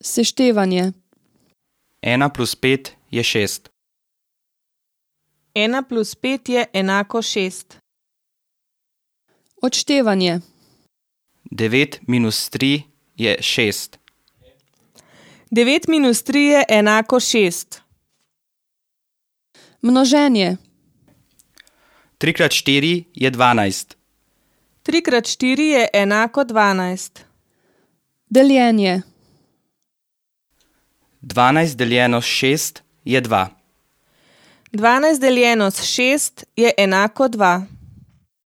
Seštevanje. 1 plus 5 je 6. 1 plus 5 je enako 6. Odštevanje. 9 minus 3 je 6. 9 minus 3 je enako 6. Množenje. 3 krat 4 je 12. 3 krat 4 je enako 12. Deljenje. 12 deljeno s 6 je 2. 12 deljeno s 6 je enako 2.